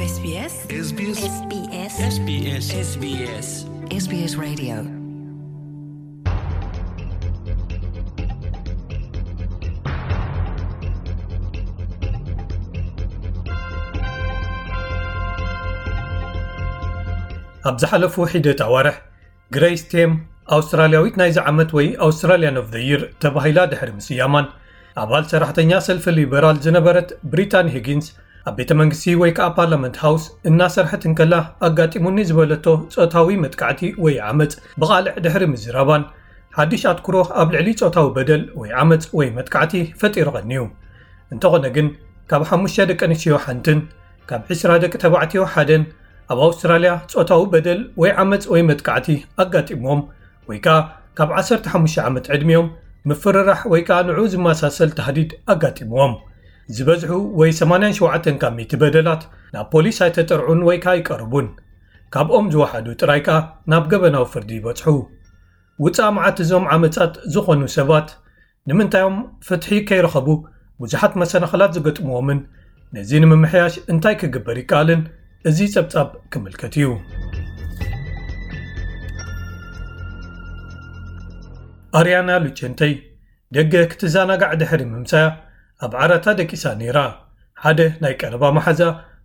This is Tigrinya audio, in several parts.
SBS SBS SBS SBS SBS Radio. ኣብ ዝሓለፉ ሒደት ኣዋርሕ፣ ግሬስ ቴም ኣውስትራልያዊት ናይዚ ዓመት ወይ ኣውስትራልያን ኦፍ ዘ ይር ተባሂላ ድሕሪ ምስያማን፣ ኣባል ሰራሕተኛ ሰልፊ ሊበራል ዝነበረት ብሪታኒ ሂጊንስ ኣብ ቤተ መንግስቲ ወይ ከዓ ፓርላመንት ሃውስ እናሰርሐት እንከላ ኣጋጢሙኒ ዝበለቶ ጾታዊ መጥቃዕቲ ወይ ዓመፅ ብቓልዕ ድሕሪ ምዝራባን፣ ሓድሽ ኣትኩሮ ኣብ ልዕሊ ጾታዊ በደል ወይ ዓመፅ ወይ መጥቃዕቲ ፈጢሩ ቀንዩ። እንተኾነ ግን፣ ካብ ሓሙሽተ ደቂ ኣንስትዮ ሓንትን ካብ ዕስራ ደቂ ተባዕትዮ ሓደን ኣብ ኣውስትራልያ ጾታዊ በደል ወይ ዓመፅ ወይ መጥቃዕቲ ኣጋጢምዎም፣ ወይ ከዓ ካብ ዓሰርተ ሓሙሽተ ዓመት ዕድሚኦም ምፍርራሕ ወይ ከዓ ንዑ ዝመሳሰል ታህዲድ ኣጋጢምዎም። ዝበዝሑ ወይ ሰማንያን ሸውዓተን ካብ ሚእቲ በደላት ናብ ፖሊስ ኣይተጠርዑን ወይ ከዓ ኣይቀርቡን። ካብኦም ዝወሓዱ ጥራይ ከዓ ናብ ገበናዊ ፍርዲ ይበጽሑ። ውፃእ መዓት እዞም ዓመፃት ዝኾኑ ሰባት ንምንታዮም ፍትሒ ከይረኸቡ ብዙሓት መሰናኽላት ዝገጥምዎምን ነዚ ንምምሕያሽ እንታይ ክግበር ይከኣልን እዚ ጸብጻብ ክምልከት እዩ። ኣርያና ሉቸንተይ ደገ ክትዘናጋዕ ድሕሪ ምምሳያ ኣብ ዓራታ ደቂሳ ነይራ። ሓደ ናይ ቀረባ መሓዛ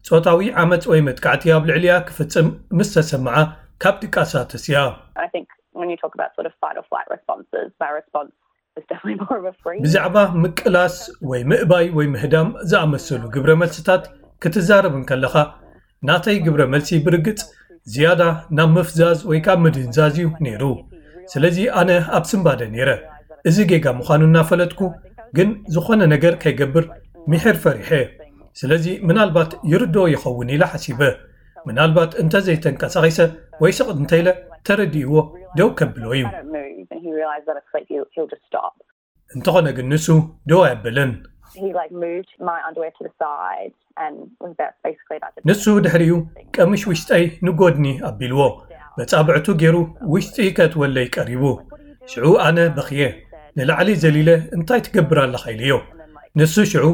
ጾታዊ ዓመጽ ወይ መጥቃዕቲ ኣብ ልዕሊያ ክፍጽም ምስ ተሰምዓ ካብ ድቃሳ ተስያ። I think when you talk about sort of fight or flight responses, my response is definitely more of a freeze. ብዛዕባ ምቅላስ ወይ ምእባይ ወይ ምህዳም ዝኣመሰሉ ግብረ መልስታት ክትዛረብ እንከለኻ ናተይ ግብረ መልሲ ብርግጽ ዝያዳ ናብ ምፍዛዝ ወይ ካብ ምድንዛዝ እዩ ነይሩ። ስለዚ ኣነ ኣብ ስንባደ ነይረ። እዚ ጌጋ ምዃኑ እናፈለጥኩ ግን ዝኾነ ነገር ከይገብር ምሕር ፈሪሐ። ስለዚ ምናልባት ይርድኦ ይኸውን ኢለ ሓሲበ። ምናልባት እንተዘይተንቀሳቒሰ ወይ ስቕ እንተኢለ ተረዲእዎ ደው ከብሎ እዩ። I don't move and he realizes that it's like he'll, he'll just stop. እንተኾነ ግን ንሱ ደው ኣየብልን። He like moved my underwear to the side and was about, basically about to ንሱ ድሕሪኡ ቀምሽ ውሽጠይ ንጎድኒ ኣቢልዎ በጻብዕቱ ገይሩ ውሽጢ ከእትወለይ ቀሪቡ። ሽዑ ኣነ በኽየ ንላዕሊ ዘሊለ እንታይ ትገብር ኣለኻ ኢለዮ። ንሱ ሽዑ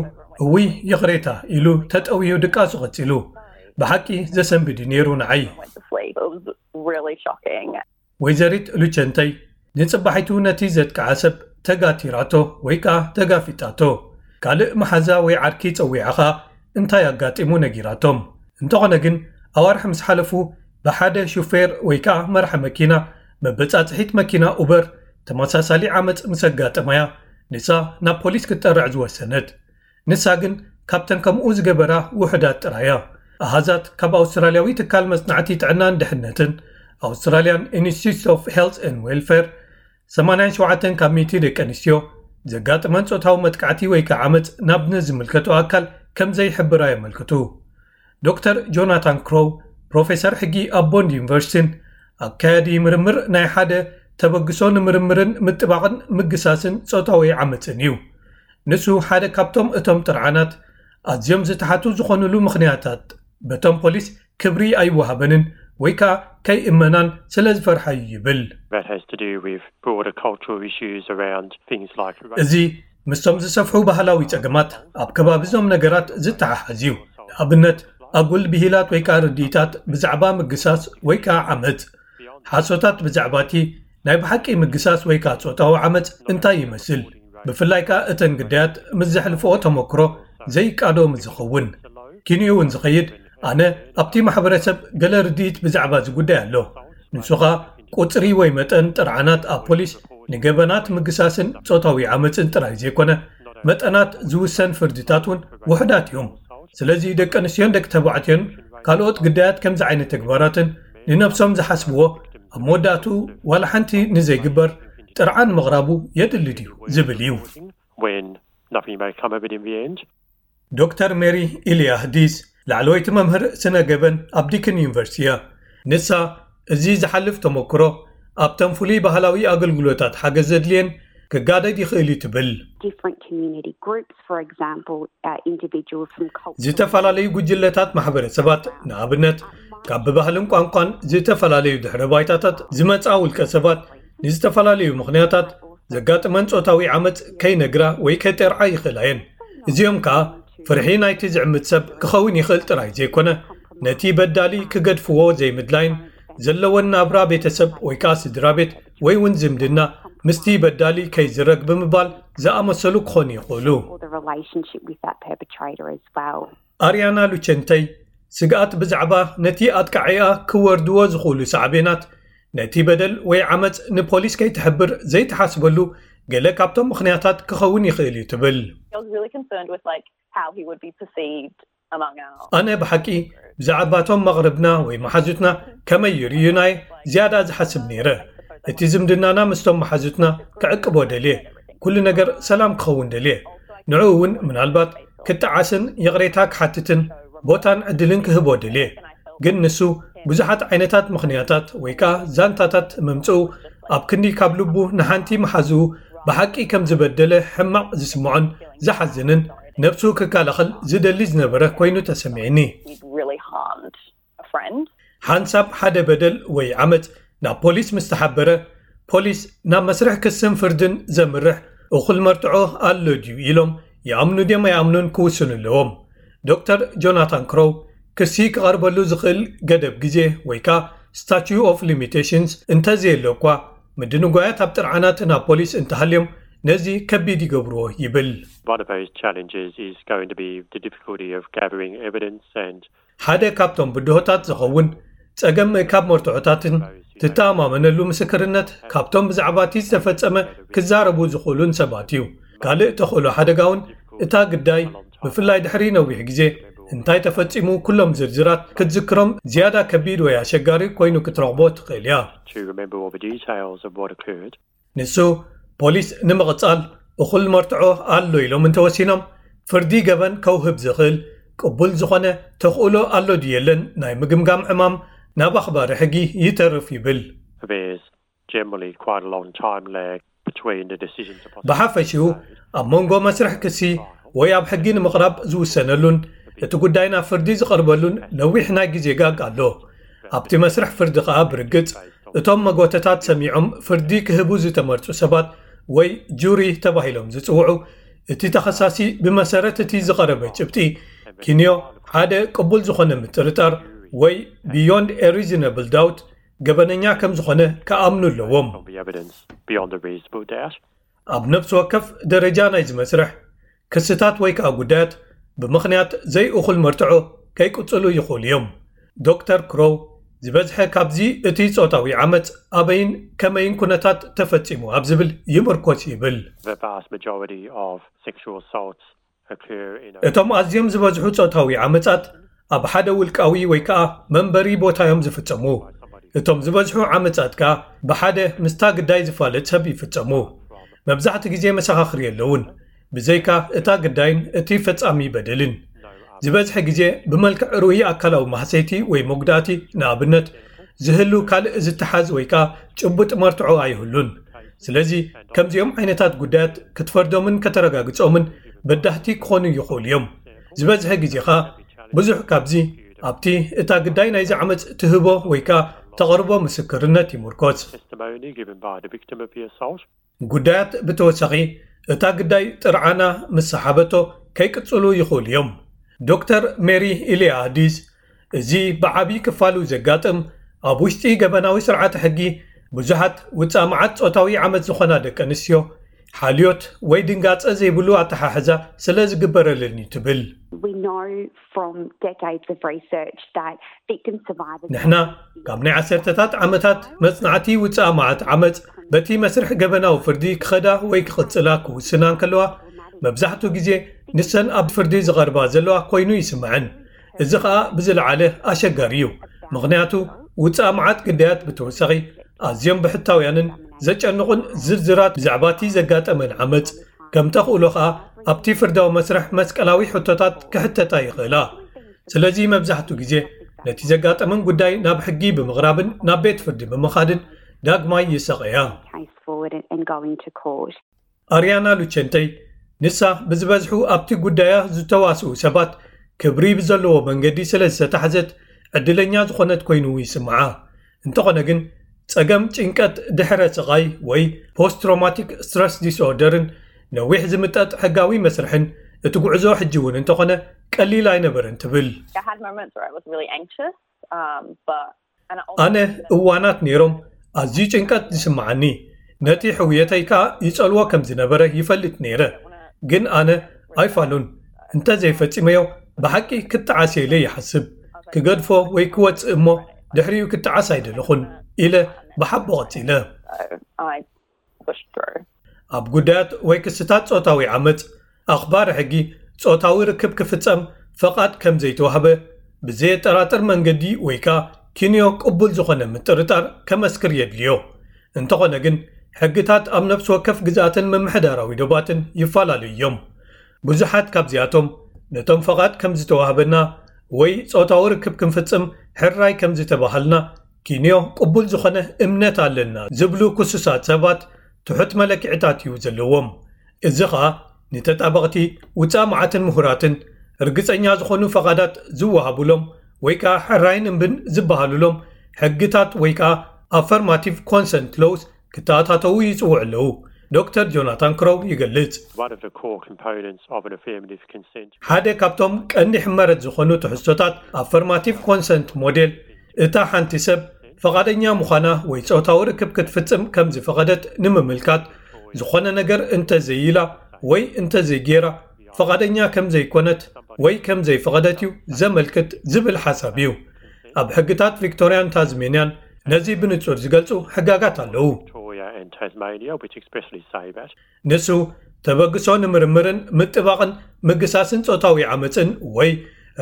እውይ ይቕሬታ ኢሉ ተጠውዩ ድቃሱ ቀጺሉ። ብሓቂ ዘሰንብድ እዩ ነይሩ ንዓይ። went to sleep. It was really shocking. ወይዘሪት ሉቸንተይ ንጽባሒቱ ነቲ ዘጥቅዓ ሰብ ተጋቲራቶ ወይ ከኣ ተጋፊጣቶ። ካልእ መሓዛ ወይ ዓርኪ ጸዊዓ ኸኣ እንታይ ኣጋጢሙ ነጊራቶም። እንተኾነ ግን ኣዋርሕ ምስ ሓለፉ ብሓደ ሹፌር ወይ ከኣ መራሒ መኪና መበጻጽሒት መኪና ኡበር ተመሳሳሊ ዓመጽ ምስ ኣጋጠማያ ንሳ ናብ ፖሊስ ክትጠርዕ ዝወሰነት። ንሳ ግን ካብተን ከምኡ ዝገበራ ውሑዳት ጥራያ። ኣሃዛት ካብ ኣውስትራልያዊ ትካል መጽናዕቲ ጥዕናን ድሕነትን Australian Institute of Health and Welfare ሰማንያን ሸውዓተን ካብ ሚእቲ ደቂ ኣንስትዮ ዘጋጥመን ጾታዊ መጥቃዕቲ ወይ ከዓ ዓመፅ ናብ ንዝምልከቶ ኣካል ከም ዘይሕብራ የመልክቱ። ዶክተር ጆናታን ክሮው ፕሮፌሰር ሕጊ ኣብ ቦንድ ዩኒቨርሲቲን ኣካያዲ ምርምር ናይ ሓደ ተበግሶ ንምርምርን ምጥባቕን ምግሳስን ጾታዊ ዓመፅን እዩ። ንሱ ሓደ ካብቶም እቶም ጥርዓናት ኣዝዮም ዝተሓቱ ዝኾኑሉ ምኽንያታት በቶም ፖሊስ ክብሪ ኣይወሃበንን ወይ ከዓ ከይእመናን ስለ ዝፈርሓ እዩ ይብል። That has to do with broader cultural issues around things like እዚ ምስቶም ዝሰፍሑ ባህላዊ ጸገማት ኣብ ከባቢ እዞም ነገራት ዝተሓሓዝ እዩ። ንኣብነት ኣጉል ብሂላት ወይ ከዓ ርድኢታት ብዛዕባ ምግሳስ ወይ ከዓ ዓመፅ፣ ሓሶታት ብዛዕባ እቲ ናይ ብሓቂ ምግሳስ ወይ ከዓ ጾታዊ ዓመፅ እንታይ ይመስል፣ ብፍላይ ከዓ እተን ግዳያት ምስ ዘሕልፍኦ ተመክሮ ዘይቃዶ ምስ ዝኸውን። ኪንኡ እውን ዝኸይድ ኣነ ኣብቲ ማሕበረሰብ ገለ ርድኢት ብዛዕባ እዚ ጉዳይ ኣሎ። ንሱ ኸኣ ቁጽሪ ወይ መጠን ጥርዓናት ኣብ ፖሊስ ንገበናት ምግሳስን ጾታዊ ዓመፅን ጥራይ ዘይኮነ መጠናት ዝውሰን ፍርድታት እውን ውሑዳት እዮም። ስለዚ ደቂ ኣንስትዮን ደቂ ተባዕትዮን ካልኦት ግዳያት ከምዚ ዓይነት ተግባራትን ንነብሶም ዝሓስብዎ ኣብ መወዳእትኡ ዋላ ሓንቲ ንዘይግበር ጥርዓን ምቕራቡ የድሊ ድዩ ዝብል እዩ። When nothing may come of it in the end. ዶክተር ሜሪ ኢልያህዲስ ላዕለወይቲ መምህር ስነ ገበን ኣብ ዲክን ዩኒቨርሲቲ እያ። ንሳ እዚ ዝሓልፍ ተመክሮ ኣብተን ፍሉይ ባህላዊ ኣገልግሎታት ሓገዝ ዘድልየን ክጋደድ ይኽእል እዩ ትብል። Different community groups, for example, uh, individuals from cultural ዝተፈላለዩ ጉጅለታት ማሕበረሰባት ንኣብነት ካብ ብባህልን ቋንቋን ዝተፈላለዩ ድሕረ ባይታታት ዝመጻ ውልቀ ሰባት ንዝተፈላለዩ ምኽንያታት ዘጋጥመን ጾታዊ ዓመፅ ከይነግራ ወይ ከይጠርዓ ይኽእላ እየን። እዚኦም ከኣ ፍርሒ ናይቲ ዝዕምት ሰብ ክኸውን ይኽእል ጥራይ ዘይኮነ ነቲ በዳሊ ክገድፍዎ ዘይምድላይን ዘለወን ናብራ ቤተሰብ ወይ ከዓ ስድራ ቤት ወይ እውን ዝምድና ምስቲ በዳሊ ከይዝረግ ብምባል ዝኣመሰሉ ክኾኑ ይኽእሉ። Or the relationship with that perpetrator as well. ኣርያና ሉቸንተይ ስግኣት ብዛዕባ ነቲ ኣጥቃዒኣ ክወርድዎ ዝኽእሉ ሳዕቤናት፣ ነቲ በደል ወይ ዓመፅ ንፖሊስ ከይትሕብር ዘይተሓስበሉ ገለ ካብቶም ምኽንያታት ክኸውን ይኽእል እዩ ትብል። I was really concerned with like how he would be perceived among our ኣነ ብሓቂ ብዛዕባቶም መቕርብና ወይ መሓዙትና ከመይ ይርእዩናይ ዝያዳ ዝሓስብ ነይረ። እቲ ዝምድናና ምስቶም መሓዙትና ክዕቅቦ ደልየ፣ ኩሉ ነገር ሰላም ክኸውን ደልየ። ንዕኡ እውን ምናልባት ክጠዓስን ይቕሬታ ክሓትትን ቦታን ዕድልን ክህቦ ደልየ። ግን ንሱ ብዙሓት ዓይነታት ምኽንያታት ወይ ከዓ ዛንታታት ምምፅኡ፣ ኣብ ክንዲ ካብ ልቡ ንሓንቲ መሓዝኡ ብሓቂ ከም ዝበደለ ሕማቕ ዝስምዖን ዝሓዝንን፣ ነብሱ ክከላኸል ዝደሊ ዝነበረ ኮይኑ ተሰሚዕኒ። He'd really harmed a friend. ሓንሳብ ሓደ በደል ወይ ዓመፅ ናብ ፖሊስ ምስ ተሓበረ፣ ፖሊስ ናብ መስርሕ ክስን ፍርድን ዘምርሕ እኹል መርትዖ ኣሎ ድዩ ኢሎም ይኣምኑ ድዮም ኣይኣምኑን ክውስኑ ኣለዎም። ዶክተር ጆናታን ክሮው ክሲ ክቐርበሉ ዝኽእል ገደብ ግዜ ወይ ከዓ statute of limitations እንተዘየሎ እኳ፣ ምድንጓያት ኣብ ጥርዓናት ናብ ፖሊስ እንተሃልዮም ነዚ ከቢድ ይገብርዎ ይብል። One of those challenges is going to be the difficulty of gathering evidence and ሓደ ካብቶም ብድሆታት ዝኸውን ጸገም ምእካብ መርትዖታትን ትተኣማመነሉ ምስክርነት ካብቶም ብዛዕባ እቲ ዝተፈጸመ ክዛረቡ ዝኽእሉን ሰባት እዩ። ካልእ ተኽእሎ ሓደጋ እውን እታ ግዳይ ብፍላይ ድሕሪ ነዊሕ ግዜ እንታይ ተፈጺሙ ኩሎም ዝርዝራት ክትዝክሮም ዝያዳ ከቢድ ወይ ኣሸጋሪ ኮይኑ ክትረኽቦ ትኽእል እያ። to remember all the details of what occurred. ንሱ ፖሊስ ንምቕጻል እኹል መርትዖ ኣሎ ኢሎም እንተወሲኖም ፍርዲ ገበን ከውህብ ዝኽእል ቅቡል ዝኾነ ተኽእሎ ኣሎ ድዩ የለን ናይ ምግምጋም ዕማም ናብ ኣኽባሪ ሕጊ ይተርፍ ይብል። There's generally quite a long time lag between the decision to prosecute. ብሓፈሽኡ ኣብ መንጎ መስርሕ ክሲ ወይ ኣብ ሕጊ ንምቕራብ ዝውሰነሉን እቲ ጉዳይ ናብ ፍርዲ ዝቐርበሉን ነዊሕ ናይ ግዜ ጋግ ኣሎ። ኣብቲ መስርሕ ፍርዲ ከኣ ብርግጽ እቶም መጎተታት ሰሚዖም ፍርዲ ክህቡ ዝተመርጹ ሰባት ወይ ጁሪ ተባሂሎም ዝጽውዑ፣ እቲ ተኸሳሲ ብመሰረት እቲ ዝቐረበ ጭብጢ ኪንዮ ሓደ ቅቡል ዝኾነ ምጥርጣር ወይ beyond a reasonable doubt ገበነኛ ከም ዝኾነ ክኣምኑ ኣለዎም። On the evidence beyond a reasonable doubt. ኣብ ነፍሲ ወከፍ ደረጃ ናይዚ መስርሕ ክስታት ወይ ከኣ ጉዳያት ብምኽንያት ዘይእኹል መርትዖ ከይቅጽሉ ይኽእሉ እዮም። ዶክተር ክሮው ዝበዝሐ ካብዚ እቲ ጾታዊ ዓመጽ ኣበይን ከመይን ኩነታት ተፈጺሙ ኣብ ዝብል ይምርኮስ ይብል። The vast majority of sexual assaults occur in a እቶም ኣዝዮም ዝበዝሑ ጾታዊ ዓመጻት ኣብ ሓደ ውልቃዊ ወይ ከኣ መንበሪ ቦታ እዮም ዝፍጸሙ። እቶም ዝበዝሑ ዓመጻት ከኣ ብሓደ ምስታ ግዳይ ዝፋለጥ ሰብ ይፍጸሙ። መብዛሕቲ ግዜ መሰኻኽር የለውን፣ ብዘይካ እታ ግዳይን እቲ ፈጻሚ በደልን። ዝበዝሐ ግዜ ብመልክዕ ርኡይ ኣካላዊ ማህሰይቲ ወይ መጉዳእቲ፣ ንኣብነት ዝህሉ ካልእ ዝተሓዝ ወይ ከኣ ጭቡጥ መርትዖ ኣይህሉን። ስለዚ ከምዚኦም ዓይነታት ጉዳያት ክትፈርዶምን ከተረጋግጾምን በዳህቲ ክኾኑ ይኽእሉ እዮም። ዝበዝሐ ግዜ ኸኣ ብዙሕ ካብዚ ኣብቲ እታ ግዳይ ናይዚ ዓመጽ ትህቦ ወይ ከኣ ተቕርቦ ምስክርነት ይምርኮስ። testimony given by the victim of the assault. ጉዳያት ብተወሳኺ እታ ግዳይ ጥርዓና ምስ ሰሓበቶ ከይቅጽሉ ይኽእሉ እዮም። ዶክተር ሜሪ ኢሊያዲዝ እዚ ብዓቢ ክፋሉ ዘጋጥም ኣብ ውሽጢ ገበናዊ ስርዓተ ሕጊ ብዙሓት ውጻእ መዓት ጾታዊ ዓመጽ ዝኾና ደቂ ኣንስትዮ ሓልዮት ወይ ድንጋጸ ዘይብሉ ኣተሓሕዛ ስለ ዝግበረለን እዩ ትብል። We know from decades of research that victim survivors ንሕና ካብ ናይ ዓሰርተታት ዓመታት መጽናዕቲ ውጻእ መዓት ዓመጽ በቲ መስርሕ ገበናዊ ፍርዲ ክኸዳ ወይ ክቕጽላ ክውስና እንከለዋ መብዛሕትኡ ግዜ ንሰን ኣብ ፍርዲ ዝቐርባ ዘለዋ ኮይኑ ይስምዐን። እዚ ኸኣ ብዝለዓለ ኣሸጋሪ እዩ። ምኽንያቱ ውጻእ መዓት ግዳያት ብተወሳኺ ኣዝዮም ብሕታውያንን ዘጨንቑን ዝርዝራት ብዛዕባ እቲ ዘጋጠመን ዓመጽ ከም ተኽእሎ ኸኣ ኣብቲ ፍርዳዊ መስርሕ መስቀላዊ ሕቶታት ክሕተታ ይኽእላ። ስለዚ መብዛሕትኡ ግዜ ነቲ ዘጋጠመን ጉዳይ ናብ ሕጊ ብምቕራብን ናብ ቤት ፍርዲ ብምኻድን ዳግማይ ይሰቐያ። case forward and, and going to court. ኣርያና ሉቸንተይ ንሳ ብዝበዝሑ ኣብቲ ጉዳያ ዝተዋስኡ ሰባት ክብሪ ብዘለዎ መንገዲ ስለ ዝተታሕዘት ዕድለኛ ዝኾነት ኮይኑ ይስምዓ። እንተኾነ ግን ጸገም ጭንቀት ድሕረ ስቓይ ወይ post traumatic stress disorder ን ነዊሕ ዝምጠጥ ሕጋዊ መስርሕን እቲ ጉዕዞ ሕጂ እውን እንተኾነ ቀሊል ኣይነበረን ትብል። I had moments where I was really anxious, um, but and I ኣነ እዋናት ነይሮም ኣዝዩ ጭንቀት ዝስምዓኒ፣ ነቲ ሕውየተይ ከኣ ይጸልዎ ከም ዝነበረ ይፈልጥ ነይረ። ግን ኣነ ኣይፋሉን፣ እንተዘይፈጺመዮ ብሓቂ ክተዓስየለ ይሓስብ። ክገድፎ ወይ ክወጽእ እሞ ድሕሪኡ ክተዓስ ኣይደለኹን ኢለ ብሓቦ ቀጺለ። I pushed through. ኣብ ጉዳያት ወይ ክስታት ጾታዊ ዓመጽ ኣኽባሪ ሕጊ ጾታዊ ርክብ ክፍጸም ፈቓድ ከም ዘይተዋህበ ብዘየጠራጥር መንገዲ ወይ ከኣ ኪንዮ ቅቡል ዝኾነ ምጥርጣር ከመስክር የድልዮ። እንተኾነ ግን ሕግታት ኣብ ነፍሲ ወከፍ ግዝኣትን ምምሕዳራዊ ዶባትን ይፈላለዩ እዮም። ብዙሓት ካብዚኣቶም ነቶም ፈቓድ ከም ዝተዋህበና ወይ ጾታዊ ርክብ ክንፍጽም ሕራይ ከም ዝተባሃልና ኪንዮ ቅቡል ዝኾነ እምነት ኣለና ዝብሉ ክሱሳት ሰባት ትሑት መለክዕታት እዩ ዘለዎም። እዚ ኸኣ ንተጣበቕቲ ውፃእ መዓትን ምሁራትን ርግፀኛ ዝኾኑ ፈቓዳት ዝወሃቡሎም ወይ ከዓ ሕራይን እምብን ዝበሃሉሎም ሕግታት ወይ ከዓ affirmative consent laws ክተኣታተዉ ይፅውዑ ኣለዉ። ዶክተር ጆናታን ክሮው ይገልጽ። One of the core components of an affirmative consent. ሓደ ካብቶም ቀንዲ ሕመረት ዝኾኑ ትሕዝቶታት affirmative consent ሞዴል እታ ሓንቲ ሰብ ፈቓደኛ ምዃና ወይ ጾታዊ ርክብ ክትፍጽም ከም ዝፈቐደት ንምምልካት ዝኾነ ነገር እንተዘይኢላ ወይ እንተዘይጌራ ፈቓደኛ ከም ዘይኮነት ወይ ከም ዘይፈቐደት እዩ ዘመልክት ዝብል ሓሳብ እዩ። ኣብ ሕግታት ቪክቶርያን ታዝሜንያን ነዚ ብንጹር ዝገልጹ ሕጋጋት ኣለዉ። Victoria and Tasmania, which expressly say that. ንሱ ተበግሶ ንምርምርን ምጥባቕን ምግሳስን ጾታዊ ዓመፅን ወይ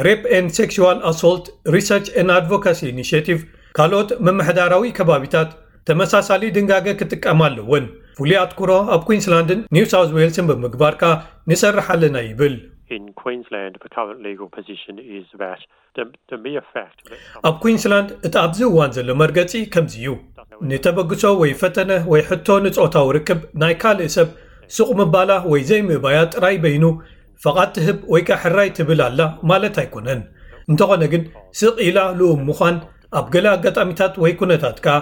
Rape and Sexual Assault Research and Advocacy Initiative ካልኦት ምምሕዳራዊ ከባቢታት ተመሳሳሊ ድንጋገ ክጥቀማ ኣለወን። ፍሉይ ኣትኩሮ ኣብ ኩንስላንድን ኒው ሳውዝ ዌልስን ብምግባር ከኣ ንሰርሕ ኣለና ይብል። In Queensland, the current legal position is that the, the mere fact that ኣብ ኩንስላንድ እቲ ኣብዚ እዋን ዘሎ መርገጺ ከምዚ እዩ። ንተበግሶ ወይ ፈተነ ወይ ሕቶ ንጾታዊ ርክብ ናይ ካልእ ሰብ ሱቕ ምባላ ወይ ዘይምእባያ ጥራይ በይኑ ፈቓድ ትህብ ወይ ከኣ ሕራይ ትብል ኣላ ማለት ኣይኮነን። እንተኾነ ግን ስቕ ኢላ ልኡም ምዃን ኣብ ገለ ኣጋጣሚታት ወይ ኩነታት ከኣ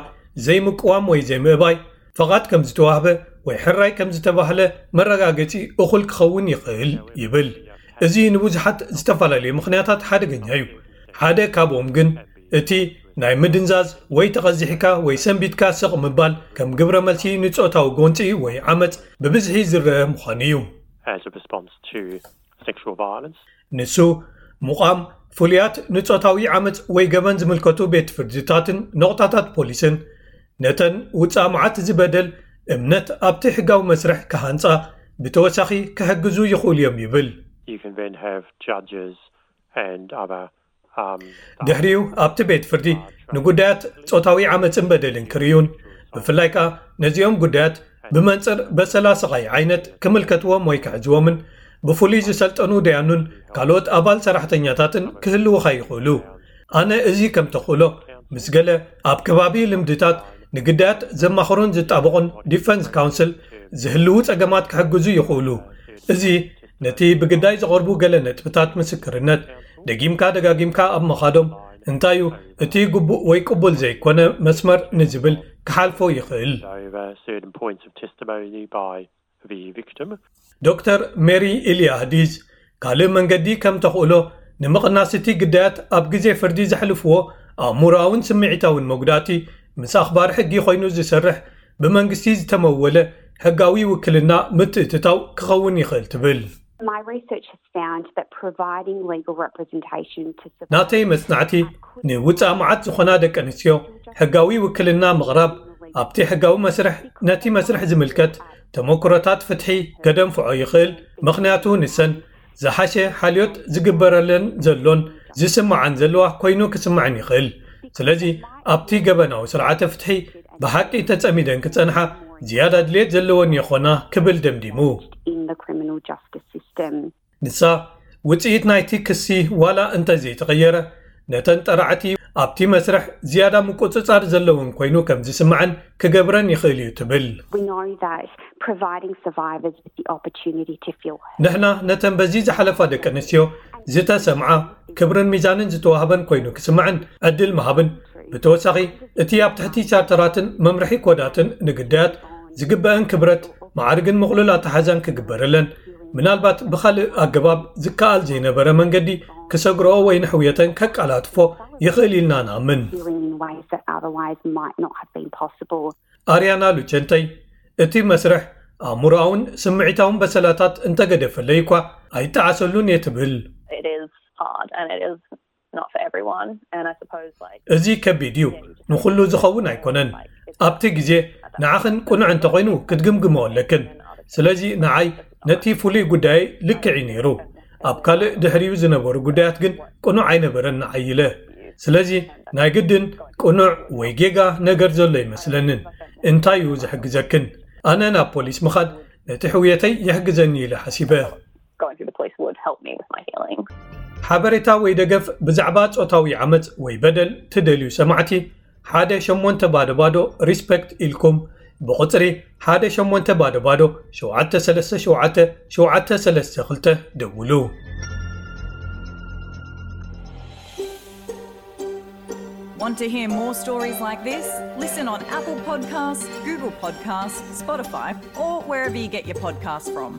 ዘይምቅዋም ወይ ዘይምእባይ ፈቓድ ከም ዝተዋህበ ወይ ሕራይ ከም ዝተባህለ መረጋገጺ እኹል ክኸውን ይኽእል ይብል። እዚ ንብዙሓት ዝተፈላለዩ ምኽንያታት ሓደገኛ እዩ። ሓደ ካብኦም ግን እቲ ናይ ምድንዛዝ ወይ ተቐዚሕካ ወይ ሰንቢትካ ስቕ ምባል ከም ግብረ መልሲ ንጾታዊ ጎንፂ ወይ ዓመፅ ብብዝሒ ዝረአ ምዃኑ እዩ። as a response to sexual violence. ንሱ ምቋም ፍሉያት ንጾታዊ ዓመፅ ወይ ገበን ዝምልከቱ ቤት ፍርድታትን ነቑጣታት ፖሊስን ነተን ውፃእ መዓት ዝበደል እምነት ኣብቲ ሕጋዊ መስርሕ ክሃንፃ ብተወሳኺ ክሕግዙ ይኽእሉ እዮም ይብል። You can then have judges and other. Um, ድሕሪኡ ኣብቲ ቤት ፍርዲ ንጉዳያት ጾታዊ ዓመፅን በደልን ክርእዩን ብፍላይ ከኣ ነዚኦም ጉዳያት ብመንፅር በሰላ ስቓይ ዓይነት ክምልከትዎም ወይ ክሕዝዎምን ብፍሉይ ዝሰልጠኑ ደያኑን ካልኦት ኣባል ሰራሕተኛታትን ክህልውኻ ይኽእሉ። ኣነ እዚ ከም ተኽእሎ ምስ ገለ ኣብ ከባቢ ልምድታት ንግዳያት ዘማኽሩን ዝጣበቑን ዲፈንስ ካውንስል ዝህልዉ ጸገማት ክሕግዙ ይኽእሉ። እዚ ነቲ ብግዳይ ዝቐርቡ ገለ ነጥብታት ምስክርነት ደጊምካ ደጋጊምካ ኣብ ምኻዶም እንታይ እዩ እቲ ግቡእ ወይ ቅቡል ዘይኮነ መስመር ንዝብል ክሓልፎ ይኽእል። over certain points of testimony by the victim. ዶክተር ሜሪ ኢልያህዲዝ ካልእ መንገዲ ከም ተኽእሎ ንምቕናስ እቲ ግዳያት ኣብ ግዜ ፍርዲ ዘሕልፍዎ ኣእምሮኣውን ስምዒታውን መጉዳእቲ ምስ ኣኽባሪ ሕጊ ኮይኑ ዝሰርሕ ብመንግስቲ ዝተመወለ ሕጋዊ ውክልና ምትእትታው ክኸውን ይኽእል ትብል። My research has found that providing legal representation to support ናተይ መጽናዕቲ ንውጻእ መዓት ዝኾና ደቂ ኣንስትዮ ሕጋዊ ውክልና ምቕራብ ኣብቲ ሕጋዊ መስርሕ ነቲ መስርሕ ዝምልከት ተመክሮታት ፍትሒ ከደንፍዖ ይኽእል። ምኽንያቱ ንሰን ዝሓሸ ሓልዮት ዝግበረለን ዘሎን ዝስምዓን ዘለዋ ኮይኑ ክስምዐን ይኽእል። ስለዚ ኣብቲ ገበናዊ ስርዓተ ፍትሒ ብሓቂ ተጸሚደን ክጸንሓ ዝያዳ ድሌት ዘለወን ይኾና ክብል ደምዲሙ። in the criminal justice system. ንሳ ውጽኢት ናይቲ ክሲ ዋላ እንተ ዘይተቐየረ ነተን ጠራዕቲ ኣብቲ መስርሕ ዝያዳ ምቁጽጻር ዘለውን ኮይኑ ከም ዝስምዐን ክገብረን ይኽእል እዩ ትብል። We know that providing survivors with the opportunity to feel heard. ንሕና ነተን በዚ ዝሓለፋ ደቂ ኣንስትዮ ዝተሰምዓ ክብርን ሚዛንን ዝተዋህበን ኮይኑ ክስምዐን ዕድል ምሃብን ብተወሳኺ እቲ ኣብ ትሕቲ ቻርተራትን መምርሒ ኮዳትን ንግዳያት ዝግበአን ክብረት ማዕርግን ምቕሉል ኣተሓዛን ክግበረለን ምናልባት ብኻልእ ኣገባብ ዝከኣል ዘይነበረ መንገዲ ክሰግርኦ ወይ ንሕውየተን ከቀላጥፎ ይኽእል ኢልና ንኣምን። Dealing in ways that otherwise might not have been possible. ኣርያና ሉቸንተይ እቲ መስርሕ ኣእምሮኣውን ስምዒታውን በሰላታት እንተገደፈለይ እኳ ኣይጠዓሰሉን እየ ትብል። It is hard and it is not for everyone. And I suppose like እዚ ከቢድ እዩ፣ ንኹሉ ዝኸውን ኣይኮነን። ኣብቲ ግዜ ንዓኽን ቅኑዕ እንተኾይኑ ክትግምግመኦ ኣለክን። ስለዚ ንዓይ ነቲ ፍሉይ ጉዳይ ልክዕ እዩ ነይሩ። ኣብ ካልእ ድሕሪኡ ዝነበሩ ጉዳያት ግን ቅኑዕ ኣይነበረን ንዓይ ኢለ። ስለዚ ናይ ግድን ቅኑዕ ወይ ጌጋ ነገር ዘሎ ይመስለንን። እንታይ እዩ ዝሕግዘክን? ኣነ ናብ ፖሊስ ምኻድ ነቲ ሕውየተይ ይሕግዘኒ ኢለ ሓሲበ። Going through the police would help me with my healing. ሓበሬታ ወይ ደገፍ ብዛዕባ ጾታዊ ዓመጽ ወይ በደል ትደልዩ ሰማዕቲ ሓደ ሸሞንተ ባዶ ባዶ ሪስፐክት ኢልኩም ብቁጽሪ ሓደ ሸሞንተ ባዶ ባዶ ሸውዓተ ሰለስተ ሸውዓተ ሸውዓተ ሰለስተ ክልተ ደውሉ። Want to hear more stories like this? Listen on Apple Podcasts, Google Podcasts, Spotify, or wherever you get your podcasts from.